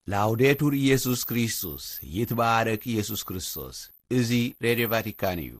ላውዴቱር ኢየሱስ ክርስቶስ፣ ይትባረክ ኢየሱስ ክርስቶስ። እዚ ሬድዮ ቫቲካን እዩ።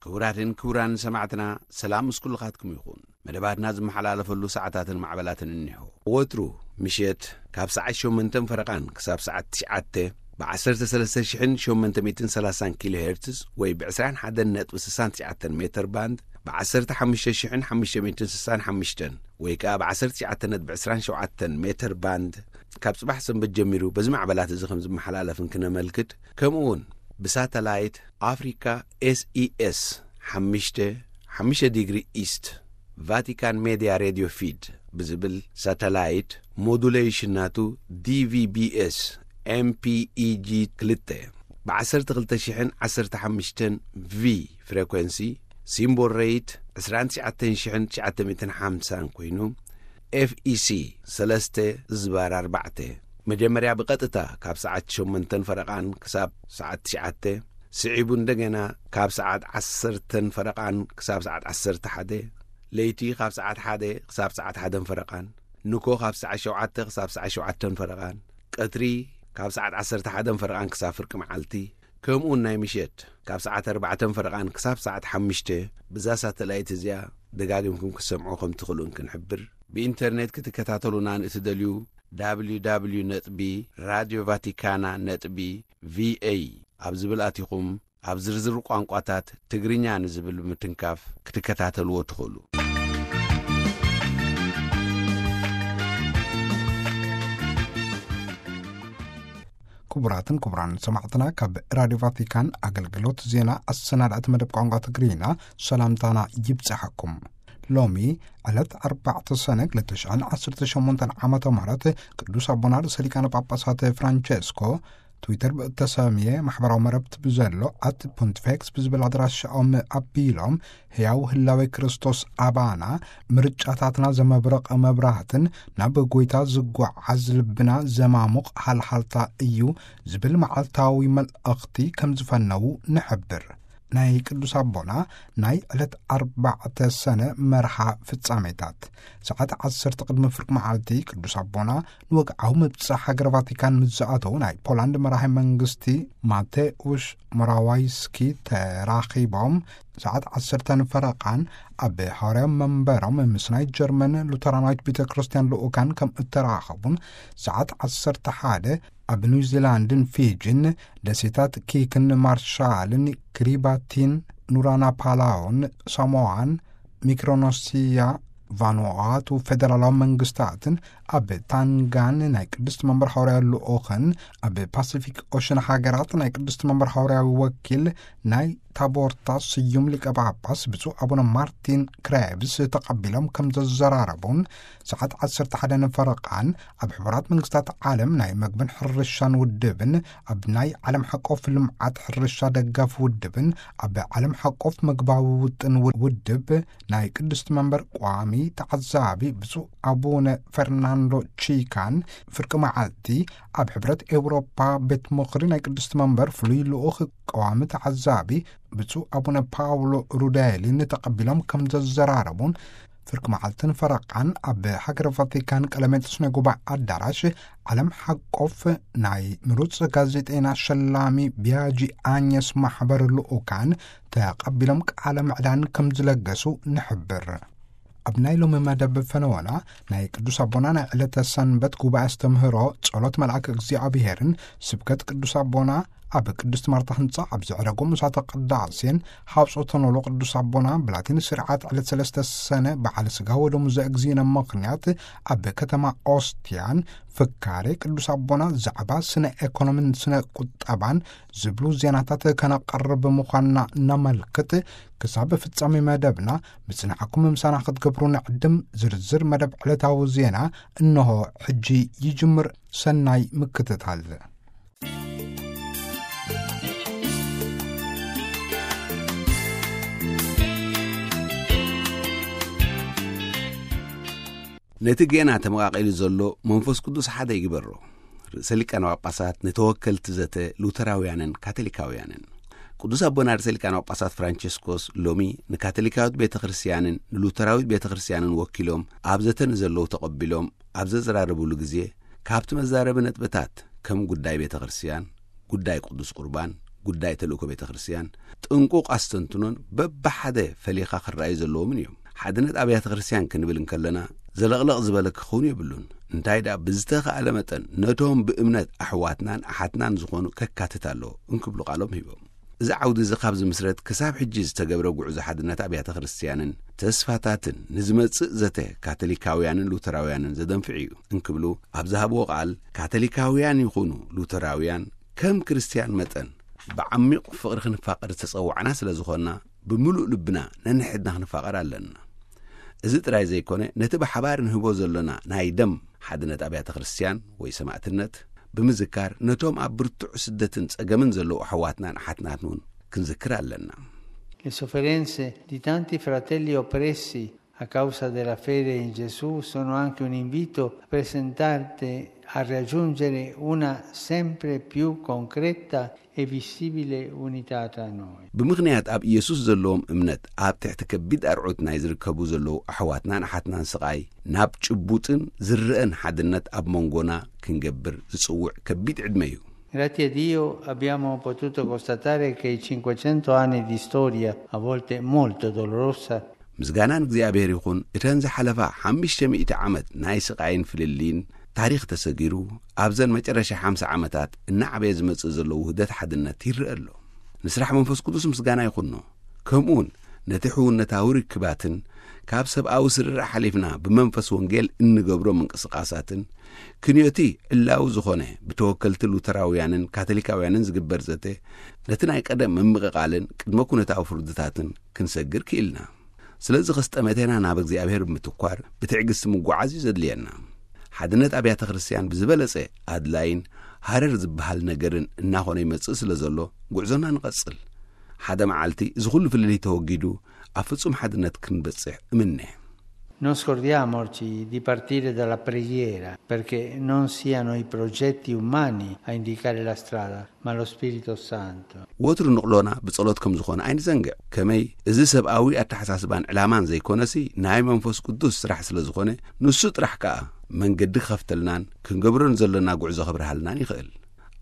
ክቡራትን ክቡራን ሰማዕትና፣ ሰላም ምስ ኩልኻትኩም ይኹን። መደባትና ዝመሓላለፈሉ ሰዓታትን ማዕበላትን እኒሆ። ወትሩ ምሸት ካብ ሰዓት ሸሞንተን ፈረቓን ክሳብ ሰዓት ትሽዓተ ብ ዓሰርተ ሰለስተ ሽሕን ሸሞንተ ሚእትን ሰላሳን ኪሎ ሄርትዝ ወይ ብ ዕስራን ሓደን ነጥቢ ስሳን ትሽዓተን ሜተር ባንድ፣ ብ ዓሰርተ ሓሙሽተ ሽሕን ሓሙሽተ ሚእትን ስሳን ሓሙሽተን ወይ ከኣ ብ ዓሰርተ ትሽዓተ ነጥቢ ዕስራን ሸውዓተን ሜተር ባንድ፣ ካብ ጽባሕ ሰንበት ጀሚሩ በዚ ማዕበላት እዚ ከም ዝመሓላለፍን ክነመልክት፣ ከምኡ እውን ብሳተላይት ኣፍሪካ ኤስኢኤስ ሓሙሽተ ሓሙሽተ ዲግሪ ኢስት፣ ቫቲካን ሜድያ ሬድዮ ፊድ ብዝብል ሳተላይት፣ ሞዱሌሽን ናቱ ዲቪቢኤስ ኤምፒኢጂ ክልተ ብ ዓሰርተ ክልተ ሽሕን ዓሰርተ ሓሙሽተን ቪ ፍሬኮንሲ፣ ሲምቦል ሬት ዕስራን ትሽዓተን ሽሕን ትሽዓተ ሚእትን ሓምሳን ኮይኑ፣ ኤፍኢሲ ሰለስተ ዝባር ኣርባዕተ፣ መጀመርያ ብቐጥታ ካብ ሰዓት ሸሞንተን ፈረቓን ክሳብ ሰዓት ትሽዓተ፣ ስዒቡ እንደገና ካብ ሰዓት ዓሰርተን ፈረቓን ክሳብ ሰዓት ዓሰርተ ሓደ፣ ለይቲ ካብ ሰዓት ሓደ ክሳብ ሰዓት ሓደን ፈረቓን፣ ንኮ ካብ ሰዓት ሸውዓተ ክሳብ ሰዓት ሸውዓተን ፈረቓን፣ ቀትሪ ካብ ሰዓት ዓሰርተ ሓደን ፈረቓን ክሳብ ፍርቂ መዓልቲ፣ ከምኡውን ናይ ምሸት ካብ ሰዓት ኣርባዕተን ፈረቓን ክሳብ ሰዓት ሓሙሽተ፣ ብዛ ሳተላይት እዚኣ ደጋጊምኩም ክትሰምዑ ከም ትኽእሉን ክንሕብር። ብኢንተርኔት ክትከታተሉና ንእትደልዩ፣ www ነጥቢ ራድዮ ቫቲካና ነጥቢ ቪኤ ኣብ ዝብል ኣቲኹም፣ ኣብ ዝርዝር ቋንቋታት ትግርኛ ንዝብል ብምትንካፍ ክትከታተልዎ ትኽእሉ። ክቡራትን ክቡራን ሰማዕትና፣ ካብ ራድዮ ቫቲካን ኣገልግሎት ዜና ኣሰናዳእቲ መደብ ቋንቋ ትግርኛ ሰላምታና ይብጽሓኩም። ሎሚ ዕለት ኣርባዕተ ሰነ ክልተ ሽሕን ዓሰርተ ሸሞንተን ዓመተ ምህረት ቅዱስ ኣቦና ርእሰ ሊቃነ ጳጳሳት ፍራንቸስኮ ትዊተር ብእተሰምየ ማሕበራዊ መረብቲ ብዘሎ ኣት ፖንቲፌክስ ብዝብል ኣድራሻኦም ኣቢሎም፣ ህያው ህላዌ ክርስቶስ ኣባና፣ ምርጫታትና ዘመብረቐ መብራህትን ናብ ጐይታ ዝጓዓዝ ልብና ዘማሙቕ ሃልሃልታ እዩ ዝብል መዓልታዊ መልእኽቲ ከም ዝፈነዉ ንሕብር። ናይ ቅዱስ ኣቦና ናይ ዕለት ኣርባዕተ ሰነ መርሃ ፍጻሜታት። ሰዓት ዓሰርተ ቅድሚ ፍርቂ መዓልቲ ቅዱስ ኣቦና ንወግዓዊ ምብጻሕ ሃገረ ቫቲካን ምስ ዝኣተዉ፣ ናይ ፖላንድ መራሒ መንግስቲ ማቴውሽ ሞራዋይስኪ ተራኺቦም፣ ሰዓት ዓሰርተ ፈረቓን ኣብ ሃዋርያዊ መንበሮም ምስ ናይ ጀርመን ሉተራናዊት ቤተ ክርስቲያን ልኡካን ከም እተራኸቡን፣ ሰዓት ዓሰርተ ሓደ ኣብ ኒውዚላንድን ፊጂን፣ ደሴታት ኪክን ማርሻልን፣ ክሪባቲን፣ ኑራናፓላውን፣ ሳሞዋን፣ ሚክሮኖሲያ፣ ቫኑዋቱ፣ ፌደራላዊ መንግስታትን፣ ኣብ ታንጋን ናይ ቅድስት መንበር ሃዋርያዊ ልኡኽን፣ ኣብ ፓሲፊክ ኦሽን ሃገራት ናይ ቅድስት መንበር ሃዋርያዊ ወኪል ናይ ታቦርታ ስዩም ሊቀ ጳጳስ ብፁዕ ኣቡነ ማርቲን ክሬብስ ተቐቢሎም ከም ዘዘራረቡን፣ ሰዓት ዓሰርተ ሓደ ፈረቓን ኣብ ሕቡራት መንግስታት ዓለም ናይ መግብን ሕርሻን ውድብን፣ ኣብ ናይ ዓለም ሓቆፍ ልምዓት ሕርሻ ደጋፍ ውድብን፣ ኣብ ዓለም ሓቆፍ መግባዊ ውጥን ውድብ ናይ ቅድስት መንበር ቋሚ ተዓዛቢ ብፁዕ ኣቡነ ፈርናንዶ ቺካን፣ ፍርቂ መዓልቲ ኣብ ሕብረት ኤውሮፓ ቤት ምኽሪ ናይ ቅድስት መንበር ፍሉይ ልኡኽ ቀዋሚ ተዓዛቢ ብፁዕ ኣቡነ ፓውሎ ሩዳይሊን ተቐቢሎም ከም ዘዘራረቡን፣ ፍርቂ መዓልትን ፈረቓን ኣብ ሃገረ ቫቲካን ቀለሜንጦስ ናይ ጉባኤ ኣዳራሽ ዓለም ሓቆፍ ናይ ምሩፅ ጋዜጠይና ሸላሚ ቢያጂ ኣኘስ ማሕበር ልኡካን ተቐቢሎም ቃለ ምዕዳን ከም ዝለገሱ ንሕብር። ኣብ ናይ ሎሚ መደብ ፈነወና ናይ ቅዱስ ኣቦና ናይ ዕለተ ሰንበት ጉባኤ ኣስተምህሮ፣ ጸሎት መልኣክ እግዚኣብሔርን ስብከት ቅዱስ ኣቦና ኣብ ቅድስት ማርታ ህንጻ ኣብ ዘዕረጎ ምሳተ ቅዳሴን ሓውጾተ ኖሎ ቅዱስ ኣቦና ብላቲን ስርዓት ዕለት ሰለስተ ሰነ በዓል ስጋ ወደሙ ዘእግዚእነ ምኽንያት ኣብ ከተማ ኦስትያን ፍካሬ ቅዱስ ኣቦና ዛዕባ ስነ ኤኮኖሚን ስነ ቁጠባን ዝብሉ ዜናታት ከነቐርብ ምዃንና ነመልክት። ክሳብ ፍጻሜ መደብና ምጽናዕኩም ምሳና ክትገብሩ ንዕድም። ዝርዝር መደብ ዕለታዊ ዜና እንሆ ሕጂ ይጅምር። ሰናይ ምክትታል። ነቲ ጌና ተመቓቒሉ ዘሎ መንፈስ ቅዱስ ሓደ ይግበሮ። ርእሰ ሊቃነ ጳጳሳት ንተወከልቲ ዘተ ሉተራውያንን ካቶሊካውያንን። ቅዱስ ኣቦና ርእሰ ሊቃነ ጳጳሳት ፍራንቸስኮስ ሎሚ ንካቶሊካዊት ቤተ ክርስቲያንን ንሉተራዊት ቤተ ክርስቲያንን ወኪሎም ኣብ ዘተ ንዘለዉ ተቐቢሎም ኣብ ዘዘራረቡሉ ግዜ፣ ካብቲ መዛረቢ ነጥብታት ከም ጉዳይ ቤተ ክርስቲያን፣ ጉዳይ ቅዱስ ቁርባን፣ ጉዳይ ተልእኮ ቤተ ክርስቲያን ጥንቁቕ ኣስተንትኖን በብሓደ ፈሊኻ ክረኣዩ ዘለዎምን እዮም። ሓድነት ኣብያተ ክርስቲያን ክንብል እንከለና ዘለቕለቕ ዝበለ ክኸውን የብሉን። እንታይ ደኣ ብዝተኻእለ መጠን ነቶም ብእምነት ኣሕዋትናን ኣሓትናን ዝኾኑ ከካትት ኣለዎ እንክብሉ ቃሎም ሂቦም። እዚ ዓውዲ እዚ ካብ ዝምስረት ክሳብ ሕጂ ዝተገብረ ጉዕዞ ሓድነት ኣብያተ ክርስቲያንን ተስፋታትን ንዝመጽእ ዘተ ካቶሊካውያንን ሉተራውያንን ዘደንፍዕ እዩ እንክብሉ ኣብ ዝሃብዎ ቃል፣ ካቶሊካውያን ይኹኑ ሉተራውያን ከም ክርስቲያን መጠን ብዓሚቕ ፍቕሪ ክንፋቐር ዝተጸዋዕና ስለ ዝኾንና ብምሉእ ልብና ነንሕድና ክንፋቐር ኣለና። እዚ ጥራይ ዘይኮነ ነቲ ብሓባር ንህቦ ዘሎና ናይ ደም ሓድነት ኣብያተ ክርስቲያን ወይ ሰማእትነት ብምዝካር ነቶም ኣብ ብርቱዕ ስደትን ጸገምን ዘለዉ ኣሕዋትናን ኣሓትናትን እውን ክንዝክር ኣለና። Le sofferenze di tanti fratelli oppressi a causa della fede in Gesù sono anche un invito a presentarti a raggiungere una sempre più concreta e visibile unità tra noi. ብምኽንያት ኣብ ኢየሱስ ዘለዎም እምነት ኣብ ትሕቲ ከቢድ ኣርዑት ናይ ዝርከቡ ዘለዉ ኣሕዋትናን ኣሓትናን ስቓይ ናብ ጭቡጥን ዝረኣን ሓድነት ኣብ መንጎና ክንገብር ዝጽውዕ ከቢድ ዕድመ እዩ። Grazie a Dio abbiamo potuto constatare che i cinquecento anni di storia, a volte molto dolorosa, ምስጋና ንእግዚኣብሔር ይኹን፣ እተን ዝሓለፋ ሓሙሽተ ሚእቲ ዓመት ናይ ስቓይን ፍልልይን ታሪኽ ተሰጊሩ፣ ኣብዘን መጨረሻ ሓምሳ ዓመታት እናዓበየ ዝመጽእ ዘሎ ውህደት ሓድነት ይረአ ኣሎ። ንስራሕ መንፈስ ቅዱስ ምስጋና ይኹኖ። ከምኡውን ነቲ ሕውነታዊ ርክባትን ካብ ሰብኣዊ ስርርዕ ሓሊፍና ብመንፈስ ወንጌል እንገብሮ ምንቅስቓሳትን ክንዮቲ ዕላዊ ዝኾነ ብተወከልቲ ሉተራውያንን ካቶሊካውያንን ዝግበር ዘተ ነቲ ናይ ቀደም ምምቕቓልን ቅድመ ኩነታዊ ፍርድታትን ክንሰግር ክኢልና። ስለዚ ኸስጠመቴና ናብ እግዚኣብሔር ብምትኳር ብትዕግስቲ ምጓዓዝ እዩ ዘድልየና። ሓድነት ኣብያተ ክርስቲያን ብዝበለጸ ኣድላይን ሃረር ዝበሃል ነገርን እናኾነ ይመጽእ ስለ ዘሎ፣ ጉዕዞና ንቐጽል። ሓደ መዓልቲ እዚ ኹሉ ፍልልይ ተወጊዱ ኣብ ፍጹም ሓድነት ክንበጽሕ እምነ። Non scordiamoci di partire dalla preghiera, perché non siano i progetti umani a indicare la strada, ma lo Spirito Santo. ወትሩ ንቕሎና ብጸሎት ከም ዝኾነ ኣይንዘንግዕ። ከመይ እዚ ሰብኣዊ ኣተሓሳስባን ዕላማን ዘይኮነሲ ናይ መንፈስ ቅዱስ ስራሕ ስለ ዝኾነ፣ ንሱ ጥራሕ ከኣ መንገዲ ክኸፍተልናን ክንገብሮ ንዘለና ጉዕዞ ክብርሃልናን ይኽእል።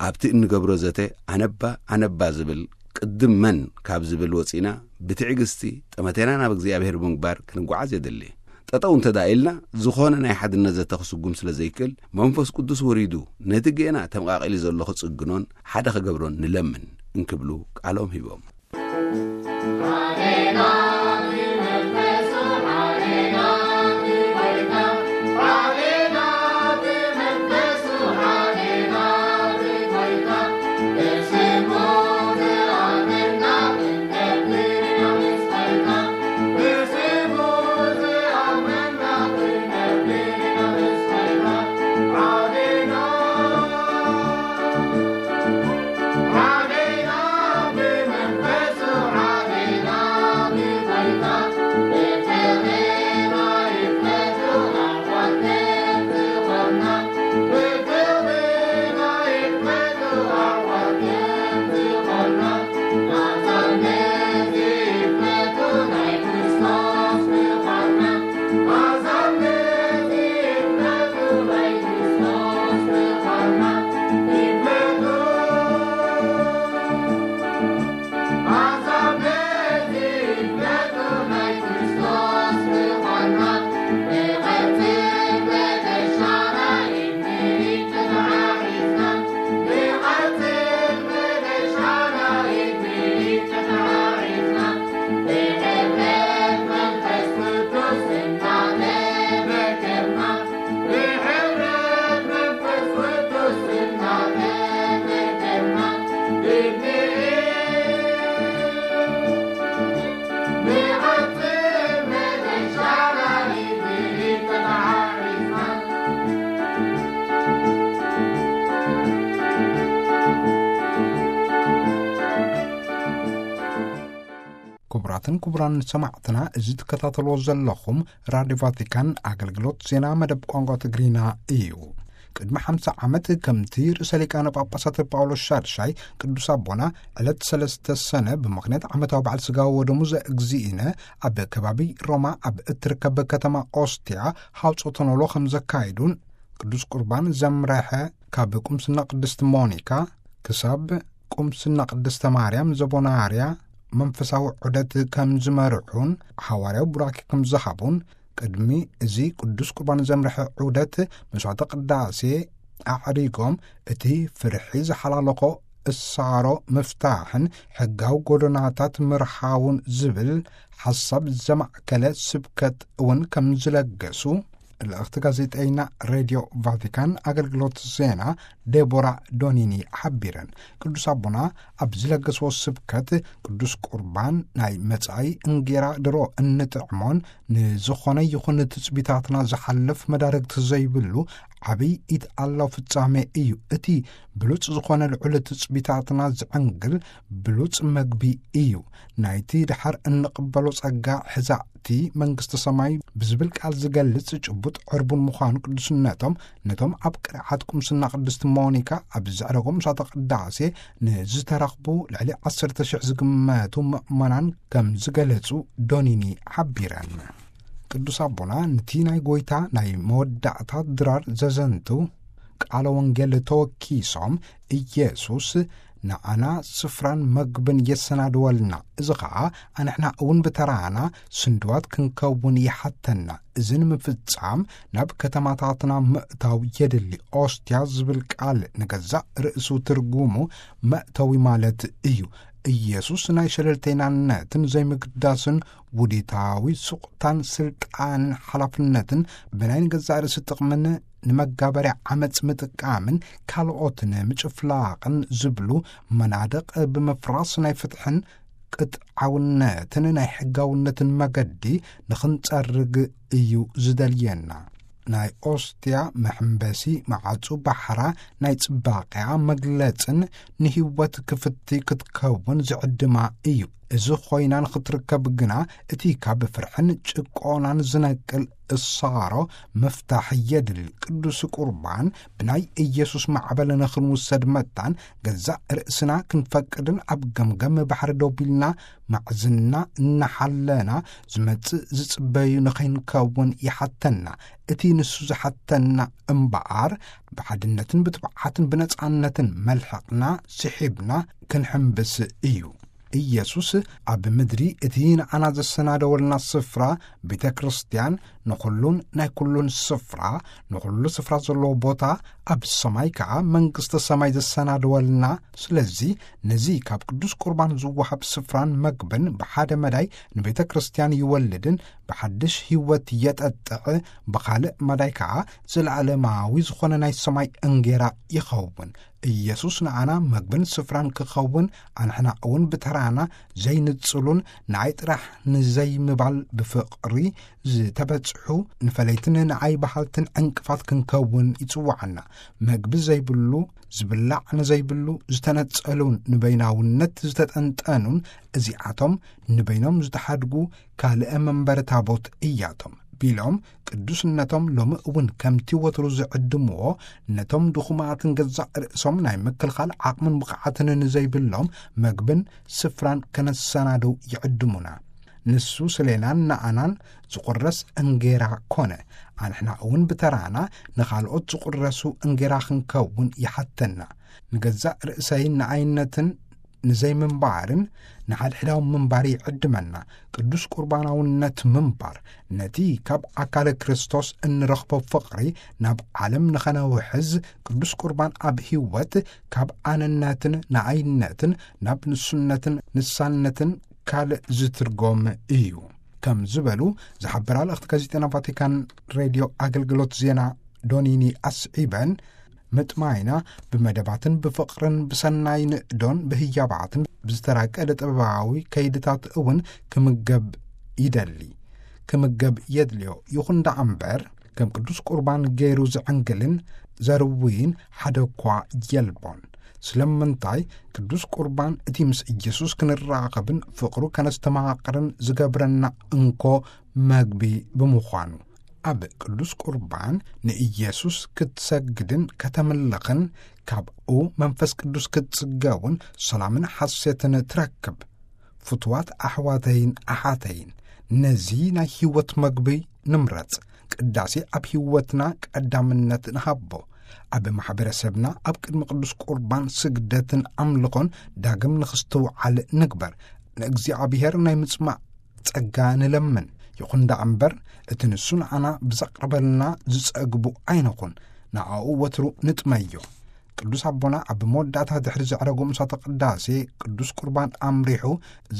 ኣብቲ እንገብሮ ዘተ ኣነባ ኣነባ ዝብል ቅድም መን ካብ ዝብል ወጺና ብትዕግስቲ ጠመቴና ናብ እግዚኣብሔር ብምግባር ክንጓዓዝ የድሊ። ጠጠው እንተ ደኣ ኢልና ዝኾነ ናይ ሓድነት ዘተ ክስጉም ስለ ዘይክእል መንፈስ ቅዱስ ወሪዱ ነቲ ጌና ተመቓቒሊ ዘሎ ክጽግኖን ሓደ ክገብሮን ንለምን እንክብሉ ቃሎም ሂቦም። ክቡራትን ክቡራን ሰማዕትና፣ እዚ ትከታተልዎ ዘለኹም ራድዮ ቫቲካን ኣገልግሎት ዜና መደብ ቋንቋ ትግርኛ እዩ። ቅድሚ ሓምሳ ዓመት ከምቲ ርእሰ ሊቃነ ጳጳሳት ጳውሎስ ሻድሻይ ቅዱስ ኣቦና ዕለት ሰለስተ ሰነ ብምኽንያት ዓመታዊ በዓል ስጋዊ ወደሙ ዘእግዚእነ ኣብ ከባቢ ሮማ ኣብ እትርከብ ከተማ ኦስቲያ ሃውጾ ተነሎ ከም ዘካይዱን ቅዱስ ቁርባን ዘምረሐ ካብ ቁምስና ቅድስት ሞኒካ ክሳብ ቁምስና ቅድስተ ማርያም ዘቦናርያ መንፈሳዊ ዑደት ከም ዝመርሑን ሓዋርያዊ ቡራኬ ከም ዝሃቡን ቅድሚ እዚ ቅዱስ ቁርባን ዘምርሐ ዑደት መስዋዕተ ቅዳሴ ኣዕሪጎም እቲ ፍርሒ ዝሓላለኾ እሳሮ ምፍታሕን ሕጋዊ ጎደናታት ምርሓውን ዝብል ሓሳብ ዘማእከለ ስብከት እውን ከም ዝለገሱ ልእኽቲ ጋዜጠይና ሬድዮ ቫቲካን ኣገልግሎት ዜና ዴቦራ ዶኒኒ ሓቢረን። ቅዱስ ኣቦና ኣብ ዝለገስዎ ስብከት ቅዱስ ቁርባን ናይ መጻኢ እንጌራ ድሮ እንጥዕሞን ንዝኾነ ይኹን ትጽቢታትና ዝሓልፍ መዳርግቲ ዘይብሉ ዓብይ ኢድ ኣላው ፍጻሜ እዩ። እቲ ብሉጽ ዝኾነ ልዑል ትጽቢታትና ዝዕንግል ብሉጽ መግቢ እዩ። ናይቲ ድሓር እንቕበሎ ጸጋ ሕዛእቲ መንግስቲ ሰማይ ብዝብል ቃል ዝገልጽ ጭቡጥ ዕርቡን ምዃኑ ቅዱስነቶም ነቶም ኣብ ቅርዓት ቁምስና ቅድስት ሞኒካ ኣብ ዘዕረጎም ምሳተ ቅዳሴ ንዝተረኽቡ ልዕሊ ዓሰርተ ሽሕ ዝግመቱ ምእመናን ከም ዝገለጹ ዶኒኒ ሓቢረን። ቅዱስ ኣቦና ነቲ ናይ ጎይታ ናይ መወዳእታ ድራር ዘዘንቱ ቃለ ወንጌል ተወኪሶም ኢየሱስ ንዓና ስፍራን መግብን የሰናድወልና፣ እዚ ኸኣ ኣንሕና እውን ብተራና ስንድዋት ክንከውን ይሓተና። እዚ ንምፍጻም ናብ ከተማታትና ምእታው የድሊ። ኦስትያ ዝብል ቃል ንገዛእ ርእሱ ትርጉሙ መእተዊ ማለት እዩ። ኢየሱስ ናይ ሸለልተይናነትን ዘይምግዳስን ውዲታዊ ሱቕታን ስልጣንን ሓላፍነትን ብናይ ንገዛእ ርእሲ ጥቕምን ንመጋበርያ ዓመጽ ምጥቃምን ካልኦት ንምጭፍላቕን ዝብሉ መናድቕ ብምፍራስ ናይ ፍትሕን ቅጥዓውነትን ናይ ሕጋውነትን መገዲ ንኽንጸርግ እዩ ዝደልየና። ናይ ኦስትያ መሐንበሲ መዓጹ ባሕራ ናይ ጽባቐያ መግለጽን ንህይወት ክፍቲ ክትከውን ዝዕድማ እዩ። እዚ ኮይና ንኽትርከብ ግና እቲ ካብ ፍርሕን ጭቆናን ዝነቅል እሳሮ ምፍታሕ የድሊ። ቅዱስ ቁርባን ብናይ ኢየሱስ ማዕበል ንኽንውሰድ መታን ገዛእ ርእስና ክንፈቅድን ኣብ ገምገም ባሕሪ ደው ቢልና ማዕዝና እናሓለና ዝመጽእ ዝጽበዩ ንኸይንከውን ይሓተና። እቲ ንሱ ዝሓተና እምበኣር ብሓድነትን ብትብዓትን ብነጻነትን መልሕቕና ስሒብና ክንሕንብስ እዩ። ኢየሱስ ኣብ ምድሪ እቲ ንዓና ዘሰናደወልና ስፍራ ቤተ ክርስቲያን ንኹሉን ናይ ኩሉን ስፍራ፣ ንኹሉ ስፍራ ዘለዎ ቦታ ኣብ ሰማይ ከኣ መንግስተ ሰማይ ዘሰናደወልና። ስለዚ ነዚ ካብ ቅዱስ ቁርባን ዝወሃብ ስፍራን መግብን ብሓደ መዳይ ንቤተ ክርስቲያን ይወልድን ብሓድሽ ህይወት የጠጥዕ፣ ብኻልእ መዳይ ከኣ ዘለዓለማዊ ዝኾነ ናይ ሰማይ እንጌራ ይኸውን። ኢየሱስ ንዓና መግብን ስፍራን ክኸውን ኣንሕና እውን ብተራና ዘይንጽሉን ንዓይ ጥራሕ ንዘይምባል ብፍቕሪ ዝተበጽሑ ንፈለይትን ንዓይ በሃልትን ዕንቅፋት ክንከውን ይጽውዓና። መግቢ ዘይብሉ ዝብላዕ ንዘይብሉ ዝተነጸሉን ንበይናውነት ዝተጠንጠኑን እዚኣቶም ንበይኖም ዝተሓድጉ ካልእ መንበሪ ታቦት እያቶም ቢሎም ቅዱስነቶም ሎሚ እውን ከምቲ ወትሩ ዝዕድምዎ ነቶም ድኹማትን ገዛእ ርእሶም ናይ ምክልኻል ዓቕምን ብቕዓትን ንዘይብሎም መግብን ስፍራን ከነሰናድው ይዕድሙና። ንሱ ስሌናን ንኣናን ዝቑረስ እንጌራ ኮነ። ኣንሕና እውን ብተራና ንኻልኦት ዝቑረሱ እንጌራ ክንከውን ይሓተና። ንገዛእ ርእሰይ ንኣይነትን ንዘይምንባርን ንሓድሕዳዊ ምንባር ይዕድመና። ቅዱስ ቁርባናውነት ምንባር ነቲ ካብ ኣካለ ክርስቶስ እንረኽቦ ፍቕሪ ናብ ዓለም ንኸነውሕዝ ቅዱስ ቁርባን ኣብ ህይወት ካብ ኣነነትን ንኣይነትን ናብ ንሱነትን ንሳነትን ካልእ ዝትርጎም እዩ ከም ዝበሉ ዝሓበራ ልእኽቲ ጋዜጠና ቫቲካን ሬድዮ ኣገልግሎት ዜና ዶኒኒ ኣስዒበን፣ ምጥማይና ብመደባትን ብፍቕርን ብሰናይ ንእዶን ብህያባትን ብዝተራቀ ዕደ ጥበባዊ ከይድታት እውን ክምገብ ይደሊ፣ ክምገብ የድልዮ። ይኹን ደኣ እምበር ከም ቅዱስ ቁርባን ገይሩ ዝዕንግልን ዘርውይን ሓደ እኳ የልቦን። ስለምንታይ? ቅዱስ ቁርባን እቲ ምስ ኢየሱስ ክንራኸብን ፍቕሩ ከነስተማቕርን ዝገብረና እንኮ መግቢ ብምዃኑ። ኣብ ቅዱስ ቁርባን ንኢየሱስ ክትሰግድን ከተምልኽን፣ ካብኡ መንፈስ ቅዱስ ክትጽገውን ሰላምን ሓሴትን ትረክብ። ፍትዋት ኣሕዋተይን ኣሓተይን፣ ነዚ ናይ ህይወት መግቢ ንምረጽ። ቅዳሴ ኣብ ህይወትና ቀዳምነት ንሃቦ። ኣብ ማሕበረሰብና ኣብ ቅድሚ ቅዱስ ቁርባን ስግደትን ኣምልኾን ዳግም ንኽስትውዓል ንግበር። ንእግዚኣብሔር ናይ ምጽማዕ ጸጋ ንለምን። ይኹን ደኣ እምበር፣ እቲ ንሱ ንዓና ብዘቕረበልና ዝጸግቡ ኣይንኹን። ንኣኡ ወትሩ ንጥመዮ። ቅዱስ ኣቦና ኣብ መወዳእታ ድሕሪ ዘዕረጉ ምሳተ ቅዳሴ ቅዱስ ቁርባን ኣምሪሑ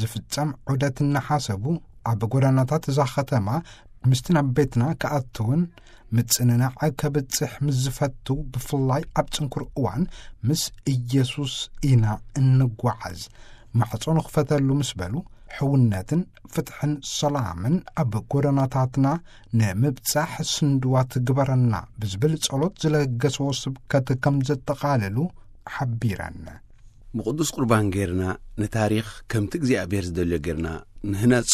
ዝፍጸም ዑደት እናሓሰቡ፣ ኣብ ጎደናታት እዛ ኸተማ ምስቲ ናብ ቤትና ክኣትውን ምጽንናዕ ከብጽሕ ምስ ዝፈቱ፣ ብፍላይ ኣብ ጽንኩር እዋን ምስ ኢየሱስ ኢና እንጓዓዝ። ማዕጾ ንኽፈተሉ ምስ በሉ፣ ሕውነትን ፍትሕን ሰላምን ኣብ ጎደናታትና ንምብጻሕ ስንድዋት ግበረና ብዝብል ጸሎት ዝለገሰዎ ስብከት ከም ዘጠቓለሉ ሓቢረን። ብቅዱስ ቁርባን ጌርና ንታሪኽ ከምቲ እግዚኣብሔር ዝደልዮ ጌርና ንህነጾ።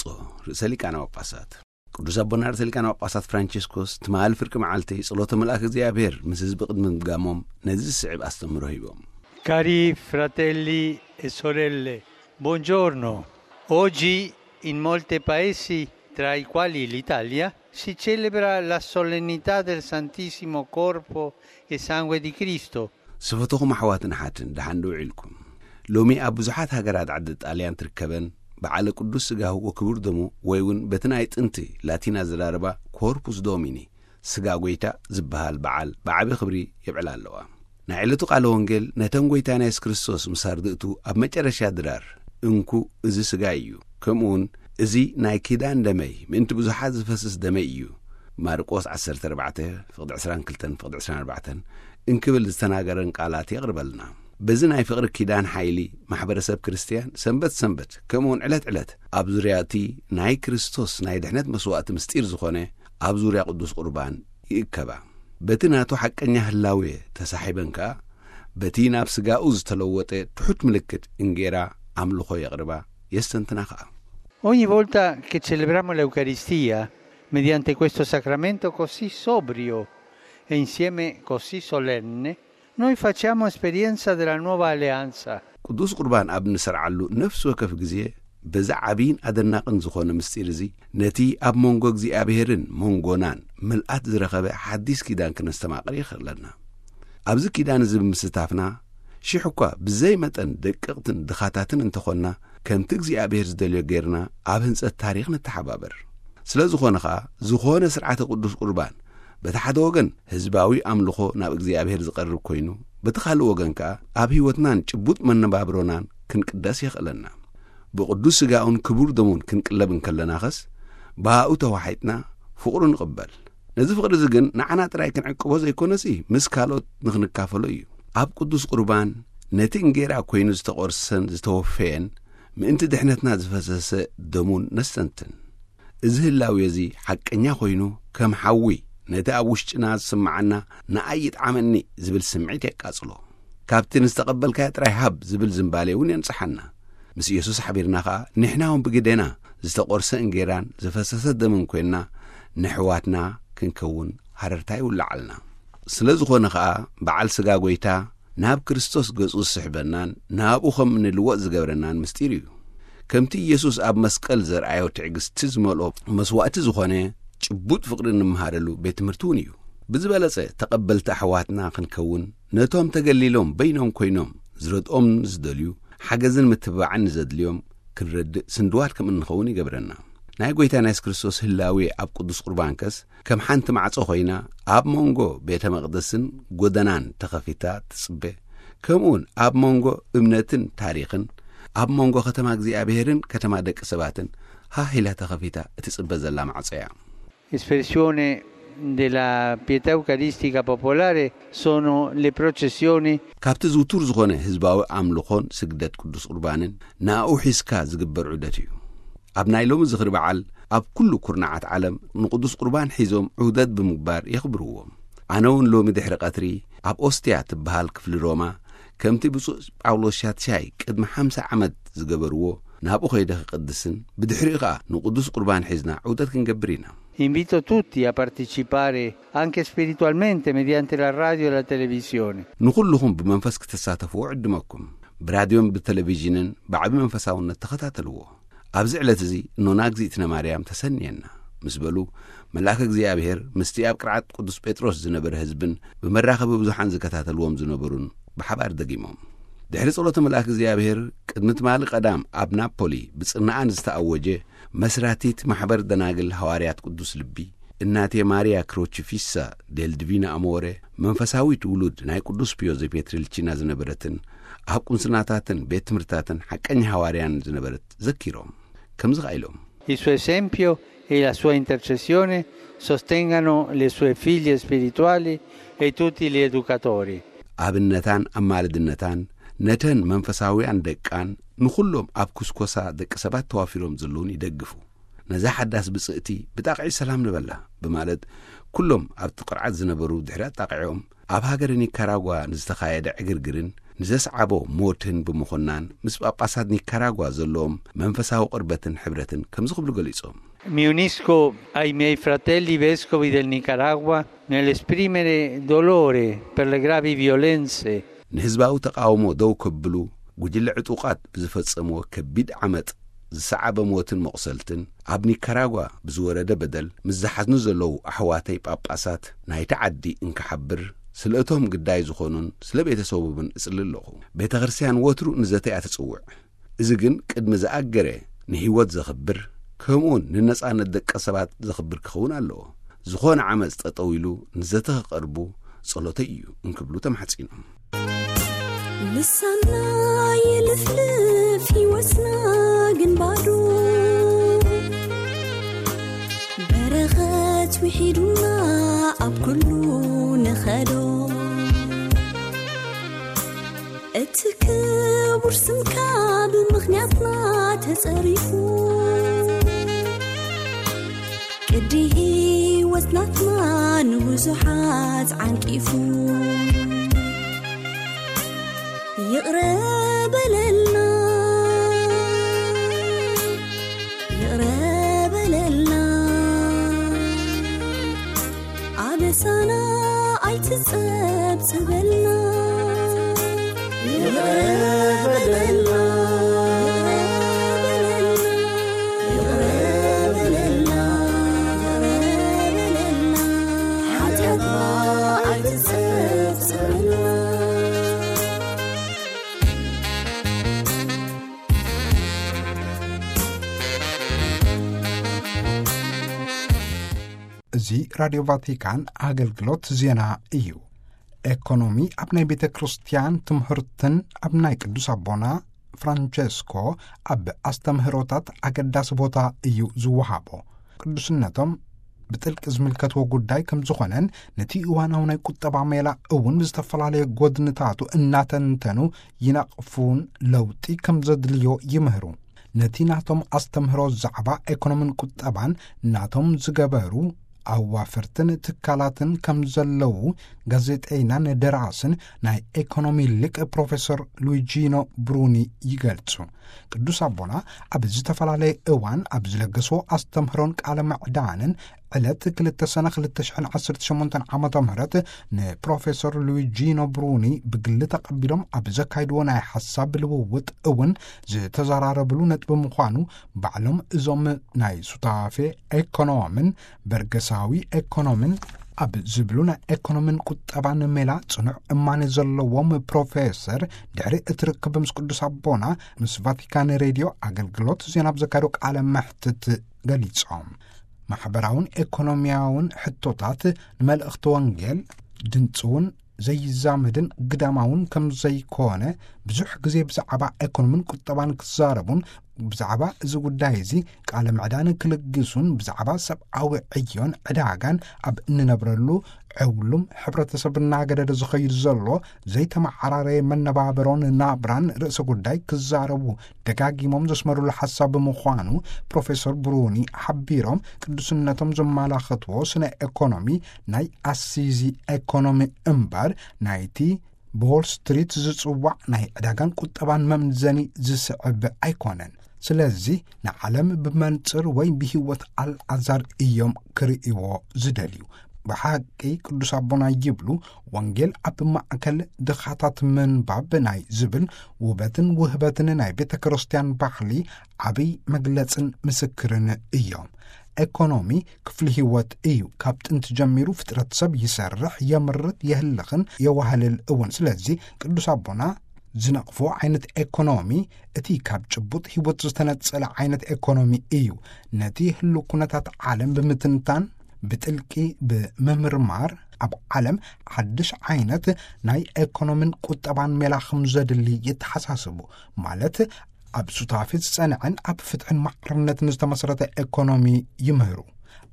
ርእሰ ሊቃነ ጳጳሳት ቅዱስ ኣቦና ርእሰ ሊቃነ ጳጳሳት ፍራንቸስኮስ ትማሊ ፍርቂ መዓልቲ ጸሎተ መልኣክ እግዚኣብሔር ምስ ህዝቢ ቅድሚ ምድጋሞም ነዚ ዝስዕብ ኣስተምህሮ ሂቦም። Cari fratelli e sorelle, buongiorno. Oggi in molti paesi, tra i quali l'Italia, si celebra la solennità del Santissimo Corpo e Sangue di Cristo. ስፈተኹም ኣሕዋትን ኣሓትን ደሓን ዶ ውዒልኩም? ሎሚ ኣብ ብዙሓት ሃገራት ዓዲ ጣልያን ትርከበን በዓለ ቅዱስ ስጋሁ ወክቡር ደሙ ወይ እውን በቲ ናይ ጥንቲ ላቲን ኣዘራርባ ኮርፑስ ዶሚኒ ስጋ ጎይታ ዝበሃል በዓል ብዓቢ ክብሪ የብዕላ ኣለዋ። ናይ ዕለቱ ቃለ ወንጌል ነተን ጎይታና የሱስ ክርስቶስ ምስ ኣርድእቱ ኣብ መጨረሻ ድራር እንኩ እዚ ስጋይ እዩ፣ ከምኡውን እዚ ናይ ኪዳን ደመይ ምእንቲ ብዙሓት ዝፈስስ ደመይ እዩ፣ ማርቆስ ዓሰርተ ኣርባዕተ ፍቕዲ ዕስራን ክልተን ፍቕዲ ዕስራን ኣርባዕተን እንክብል ዝተናገረን ቃላት የቕርበልና። በዚ ናይ ፍቕሪ ኪዳን ሓይሊ ማሕበረሰብ ክርስትያን ሰንበት ሰንበት ከምኡውን ዕለት ዕለት ኣብ ዙርያ እቲ ናይ ክርስቶስ ናይ ድሕነት መስዋእቲ ምስጢር ዝኾነ ኣብ ዙርያ ቅዱስ ቁርባን ይእከባ። በቲ ናቱ ሓቀኛ ህላዌ ተሳሒበን ከኣ በቲ ናብ ስጋኡ ዝተለወጠ ትሑት ምልክት እንጌራ ኣምልኾ የቕርባ የስተንትና ከኣ። Ogni volta che celebriamo l'Eucaristia, mediante questo sacramento così sobrio e insieme così solenne, noi facciamo esperienza della nuova alleanza. ቅዱስ ቁርባን ኣብ እንሰርዓሉ ነፍሲ ወከፍ ግዜ በዚ ዓብይን ኣደናቕን ዝኾነ ምስጢር እዚ ነቲ ኣብ መንጎ እግዚኣብሔርን መንጎናን ምልኣት ዝረኸበ ሓዲስ ኪዳን ክነስተማቕር ይኽእለና። ኣብዚ ኪዳን እዚ ብምስታፍና ሽሕ እኳ ብዘይ መጠን ደቀቕትን ድኻታትን እንተኾንና ከምቲ እግዚኣብሔር ዝደልዮ ጌርና ኣብ ህንጸት ታሪኽ ንተሓባበር። ስለ ዝኾነ ኸኣ ዝኾነ ስርዓተ ቅዱስ ቁርባን በቲ ሓደ ወገን ህዝባዊ ኣምልኾ ናብ እግዚኣብሔር ዝቐርብ ኮይኑ በቲ ካልእ ወገን ከኣ ኣብ ህይወትናን ጭቡጥ መነባብሮናን ክንቅደስ የኽእለና። ብቕዱስ ስጋኡን ክቡር ደሙን ክንቅለብ እንከለናኸስ ብኣኡ ተዋሒጥና ፍቕሩ ንቕበል። ነዚ ፍቕሪ እዚ ግን ንዓና ጥራይ ክንዕቅቦ ዘይኮነሲ ምስ ካልኦት ንኽንካፈሎ እዩ። ኣብ ቅዱስ ቁርባን ነቲ እንጌራ ኮይኑ ዝተቖርሰን ዝተወፈየን ምእንቲ ድሕነትና ዝፈሰሰ ደሙን ነስተንትን። እዚ ህላዌ እዚ ሓቀኛ ኮይኑ ከም ሓዊ ነቲ ኣብ ውሽጥና ዝስምዓና ንኣይ ይጥዓመኒ ዝብል ስምዒት የቃጽሎ። ካብቲ ንዝተቐበልካዮ ጥራይ ሃብ ዝብል ዝንባሌ እውን የንጽሓና። ምስ ኢየሱስ ሓቢርና ኸኣ ንሕና እውን ብግዴና ዝተቖርሰ እንጌራን ዝፈሰሰ ደምን ኮይንና ንሕዋትና ክንከውን ሃረርታ ይውልዓልና። ስለ ዝኾነ ኸኣ በዓል ስጋ ጎይታ ናብ ክርስቶስ ገጹ ዝስሕበናን ናብኡ ከም እንልወጥ ዝገብረናን ምስጢር እዩ። ከምቲ ኢየሱስ ኣብ መስቀል ዘርኣዮ ትዕግስቲ ዝመልኦ መስዋእቲ ዝኾነ ጭቡጥ ፍቕሪ እንምሃረሉ ቤት ትምህርቲ እውን እዩ። ብዝበለጸ ተቐበልቲ ኣሕዋትና ክንከውን ነቶም ተገሊሎም በይኖም ኮይኖም ዝረድኦም ንዝደልዩ ሓገዝን ምትብባዕን ንዘድልዮም ክንረድእ ስንድዋት ከም እንኸውን ይገብረና። ናይ ጎይታ ናይ የሱስ ክርስቶስ ህላዌ ኣብ ቅዱስ ቁርባንከስ ከም ሓንቲ ማዕጾ ኮይና ኣብ መንጎ ቤተ መቕደስን ጎደናን ተኸፊታ ትጽበ። ከምኡውን ኣብ መንጎ እምነትን ታሪኽን ኣብ መንጎ ከተማ እግዚኣብሔርን ከተማ ደቂ ሰባትን ሃህ ኢላ ተኸፊታ እትጽበ ዘላ ማዕጾ እያ። Espressione della pietà eucaristica popolare sono le processioni. ካብቲ ዝውቱር ዝኾነ ህዝባዊ ኣምልኾን ስግደት ቅዱስ ቁርባንን ንኣኡ ሒዝካ ዝግበር ዑደት እዩ። ኣብ ናይ ሎሚ ዝኽሪ በዓል ኣብ ኩሉ ኩርናዓት ዓለም ንቅዱስ ቁርባን ሒዞም ዑደት ብምግባር የኽብርዎ። ኣነ እውን ሎሚ ድሕሪ ቀትሪ ኣብ ኦስትያ ትበሃል ክፍሊ ሮማ ከምቲ ብፁዕ ጳውሎስ ሻትሻይ ቅድሚ ሓምሳ ዓመት ዝገበርዎ፣ ናብኡ ከይደ ክቕድስን ብድሕሪኡ ኸኣ ንቅዱስ ቁርባን ሒዝና ዑደት ክንገብር ኢና። Invito tutti a partecipare anche spiritualmente mediante la radio e la televisione. ንኹልኹም ብመንፈስ ክትሳተፍዎ ዕድመኩም። ብራድዮን ብቴሌቪዥንን ብዓቢ መንፈሳውነት ተኸታተልዎ። ኣብዚ ዕለት እዚ እኖና እግዚኣብእነ ማርያም ተሰንየና ምስ በሉ፣ መልኣከ እግዚኣብሔር ምስቲ ኣብ ቅርዓት ቅዱስ ጴጥሮስ ዝነበረ ህዝብን ብመራኸቢ ብዙሓን ዝከታተልዎም ዝነበሩን ብሓባር ደጊሞም። ድሕሪ ጸሎተ መልኣክ እግዚኣብሔር ቅድሚ ትማሊ ቀዳም ኣብ ናፖሊ ብጽርናኣን ዝተኣወጀ መስራቲት ማሕበር ደናግል ሃዋርያት ቅዱስ ልቢ እናቴ ማርያ ክሮቺፊሳ ዴል ዲቪና ኣሞረ መንፈሳዊት ውሉድ ናይ ቅዱስ ፒዮ ዘፔትሪልቺና ዝነበረትን ኣብ ቁንስናታትን ቤት ትምህርታትን ሓቀኛ ሃዋርያን ዝነበረት ዘኪሮም ከምዚ ኸኣ ኢሎም። Il suo esempio e la sua intercessione sostengano le sue figlie spirituali e tutti gli educatori. ኣብነታን ኣማልድነታን ነተን መንፈሳውያን ደቃን ንኹሎም ኣብ ኩስኮሳ ደቂ ሰባት ተዋፊሮም ዘለውን ይደግፉ። ነዛ ሓዳስ ብጽእቲ ብጣቕዒ ሰላም ንበላ ብማለት ኩሎም ኣብቲ ቅርዓት ዝነበሩ ድሕሪ ኣጣቕዒኦም ኣብ ሃገረ ኒካራጓ ንዝተኻየደ ዕግርግርን ንዘስዓቦ ሞትን ብምኹናን ምስ ጳጳሳት ኒካራጓ ዘለዎም መንፈሳዊ ቅርበትን ሕብረትን ከምዚ ክብሉ ገሊጾም። Mi unisco ai miei fratelli vescovi del Nicaragua nell'esprimere dolore per le gravi violenze. ንህዝባዊ ተቃውሞ ደው ከብሉ ጉጅለ ዕጡቓት ብዝፈጸምዎ ከቢድ ዓመጽ ዝሰዓበ ሞትን መቑሰልትን ኣብ ኒካራጓ ብዝወረደ በደል ምስ ዝሓዝኑ ዘለዉ ኣሕዋተይ ጳጳሳት ናይቲ ዓዲ እንክሓብር ስለ እቶም ግዳይ ዝኾኑን ስለ ቤተሰቦምን እጽሊ ኣለኹ። ቤተ ክርስቲያን ወትሩ ንዘተ እያ ትጽውዕ። እዚ ግን ቅድሚ ዝኣገረ ንህይወት ዘኽብር ከምኡውን ንነጻነት ደቂ ሰባት ዘኽብር ክኸውን ኣለዎ። ዝኾነ ዓመጽ ጠጠው ኢሉ ንዘተ ክቐርቡ ጸሎተይ እዩ እንክብሉ ተማሕጺኖም። ልሳና ይልፍልፍ ይወስና ግን ባዶ በረኸት ውሒዱና ኣብ ኩሉ ንኸዶ እቲ ክቡር ስምካ ብምኽንያትና ተጸሪፉ ቅዲ ህይወት ናትና ንብዙሓት ዓንቂፉ ይቕረ በለልና ይቕረ በለልና ኣበሳና ኣይትጸብጽበልና ይቕረ በለልና ይቕረ በለልና ሓጢኣትና ኣይትጸብጽበልና። እዚ ራድዮ ቫቲካን ኣገልግሎት ዜና እዩ። ኤኮኖሚ ኣብ ናይ ቤተ ክርስቲያን ትምህርትን ኣብ ናይ ቅዱስ ኣቦና ፍራንቸስኮ ኣብ ኣስተምህሮታት ኣገዳሲ ቦታ እዩ ዝወሃቦ። ቅዱስነቶም ብጥልቂ ዝምልከትዎ ጉዳይ ከም ዝኾነን ነቲ እዋናዊ ናይ ቁጠባ ሜላ እውን ብዝተፈላለየ ጎድንታቱ እናተንተኑ ይነቕፉን ለውጢ ከም ዘድልዮ ይምህሩ። ነቲ ናቶም ኣስተምህሮ ዛዕባ ኤኮኖምን ቁጠባን ናቶም ዝገበሩ ኣዋፈርትን ትካላትን ከም ዘለዉ ጋዜጠይናን ደራስን ናይ ኤኮኖሚ ሊቅ ፕሮፌሰር ሉዊጂኖ ብሩኒ ይገልጹ። ቅዱስ ኣቦና ኣብ ዝተፈላለየ እዋን ኣብ ዝለገስዎ ኣስተምህሮን ቃለ ምዕዳንን ዕለት ክልተ ሰነ ክልተ ሽሕን ዓሰርተ ሸሞንተን ዓመተ ምህረት ንፕሮፌሰር ሉዊጂኖ ብሩኒ ብግሊ ተቐቢሎም ኣብ ዘካይድዎ ናይ ሓሳብ ልውውጥ እውን ዝተዘራረብሉ ነጥቢ ምዃኑ ባዕሎም እዞም ናይ ሱታፌ ኤኮኖምን በርገሳዊ ኤኮኖምን ኣብ ዝብሉ ናይ ኤኮኖምን ቁጠባን ሜላ ጽኑዕ እማነ ዘለዎም ፕሮፌሰር ድሕሪ እቲ ርክብ ምስ ቅዱስ ኣቦና ምስ ቫቲካን ሬድዮ ኣገልግሎት ዜና ኣብ ዘካየዶ ቃለ መሕትት ገሊጾም። ማሕበራውን ኤኮኖሚያውን ሕቶታት ንመልእኽቲ ወንጌል ድንጽውን ዘይዛመድን ግዳማውን ከም ዘይኮነ ብዙሕ ግዜ ብዛዕባ ኤኮኖምን ቁጠባን ክዛረቡን ብዛዕባ እዚ ጉዳይ እዚ ቃለ ምዕዳን ክልግሱን ብዛዕባ ሰብኣዊ ዕዮን ዕዳጋን ኣብ እንነብረሉ ዕውሉም ሕብረተሰብ እናገደደ ዝኸይድ ዘሎ ዘይተመዓራረየ መነባበሮን ናብራን ርእሰ ጉዳይ ክዛረቡ ደጋጊሞም ዘስመሩሉ ሓሳብ ብምዃኑ ፕሮፌሰር ብሩኒ ሓቢሮም ቅዱስነቶም ዘመላኸትዎ ስነ ኤኮኖሚ ናይ ኣሲዚ ኤኮኖሚ እምበር ናይቲ ብዎል ስትሪት ዝጽዋዕ ናይ ዕዳጋን ቁጠባን መምዘኒ ዝስዕብ ኣይኮነን። ስለዚ ንዓለም ብመንጽር ወይ ብህይወት ኣልዓዛር እዮም ክርእይዎ ዝደልዩ። ብሓቂ ቅዱስ ኣቦና ይብሉ፣ ወንጌል ኣብ ማእከል ድኻታት ምንባብ ናይ ዝብል ውበትን ውህበትን ናይ ቤተ ክርስቲያን ባህሊ ዓብይ መግለጽን ምስክርን እዮም። ኤኮኖሚ ክፍሊ ህይወት እዩ። ካብ ጥንቲ ጀሚሩ ፍጥረት ሰብ ይሰርሕ፣ የምርት፣ የህልኽን የዋህልል እውን። ስለዚ ቅዱስ ኣቦና ዝነቕፎ ዓይነት ኤኮኖሚ እቲ ካብ ጭቡጥ ህይወት ዝተነጸለ ዓይነት ኤኮኖሚ እዩ። ነቲ ህሉ ኩነታት ዓለም ብምትንታን ብጥልቂ ብምምርማር ኣብ ዓለም ሓድሽ ዓይነት ናይ ኤኮኖሚን ቁጠባን ሜላ ከም ዘድሊ የተሓሳስቡ። ማለት ኣብ ሱታፌ ዝጸንዐን ኣብ ፍትሕን ማዕርነትን ዝተመሰረተ ኤኮኖሚ ይምህሩ።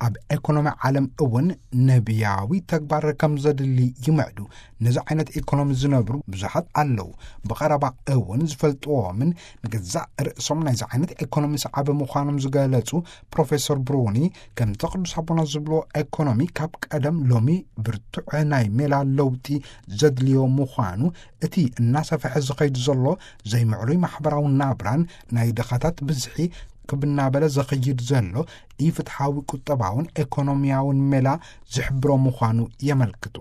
ኣብ ኤኮኖሚ ዓለም እውን ነቢያዊ ተግባር ከም ዘድሊ ይምዕዱ። ነዚ ዓይነት ኤኮኖሚ ዝነብሩ ብዙሓት ኣለዉ። ብቐረባ እውን ዝፈልጥዎምን ንገዛእ ርእሶም ናይዚ ዓይነት ኤኮኖሚ ሰዓቢ ምዃኖም ዝገለጹ ፕሮፌሰር ብሩኒ፣ ከምቲ ቅዱስ ኣቦና ዝብልዎ ኤኮኖሚ ካብ ቀደም ሎሚ ብርቱዕ ናይ ሜላ ለውጢ ዘድልዮ ምዃኑ፣ እቲ እናሰፍሐ ዝኸይድ ዘሎ ዘይምዕሩይ ማሕበራዊ ናብራን ናይ ድኻታት ብዝሒ ክብ እናበለ ዝኸይድ ዘሎ ኢፍትሓዊ ቁጠባውን ኤኮኖሚያውን ሜላ ዝሕብሮ ምዃኑ የመልክቱ።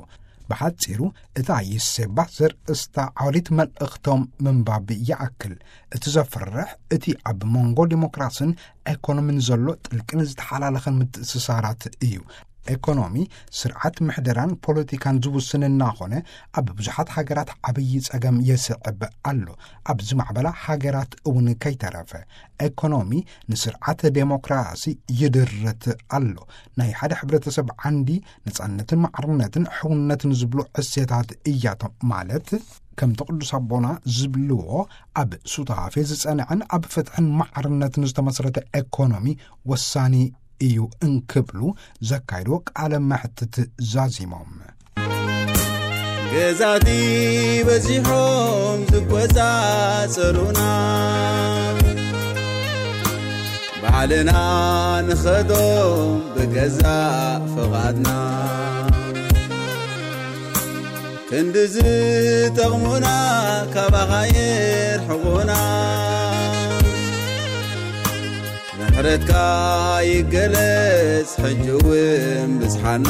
ብሓጺሩ፣ እታ ዩሴባ ዘርእስታ ዓሊት መልእኽቶም ምንባብ ይኣክል። እቲ ዘፍርሕ፣ እቲ ኣብ መንጎ ዲሞክራስን ኤኮኖሚን ዘሎ ጥልቅን ዝተሓላለኸን ምትእስሳራት እዩ። ኤኮኖሚ፣ ስርዓት ምሕደራን ፖለቲካን ዝውስን እናኾነ፣ ኣብ ብዙሓት ሃገራት ዓብዪ ጸገም የስዕብ ኣሎ። ኣብ ዝማዕበላ ሃገራት እውን ከይተረፈ፣ ኤኮኖሚ ንስርዓት ዴሞክራሲ ይድርት ኣሎ። ናይ ሓደ ሕብረተሰብ ዓንዲ ነጻነትን ማዕርነትን ሕውነትን ዝብሉ እሴታት እያቶም። ማለት ከምቲ ቅዱስ ኣቦና ዝብልዎ፣ ኣብ ሱታፌ ዝጸንዐን ኣብ ፍትሕን ማዕርነትን ዝተመስረተ ኤኮኖሚ ወሳኒ እዩ እንክብሉ ዘካይድዎ ቃለ መሕትት ዛዚሞም። ገዛቲ በዚሖም ዝቆጻጸሩና፣ ባዕልና ንኸዶም ብገዛእ ፍቓድና። ክንዲ ዝጠቕሙና ካባኻ የርሕቑና። ምሕረትካ ይገለጽ ሕጂ እውን ብጽሓና።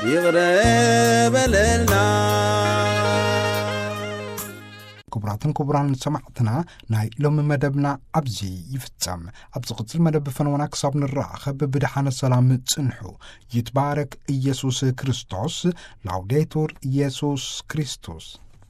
ይቕረ በለልና። ክቡራትን ክቡራን ሰማዕትና፣ ናይ ሎሚ መደብና ኣብዚ ይፍጸም። ኣብ ዝቕጽል መደብ ፈነወና ክሳብ ንራኸብ ብደሓነ ሰላም ጽንሑ። ይትባረክ ኢየሱስ ክርስቶስ። ላውዴቱር ኢየሱስ ክርስቶስ።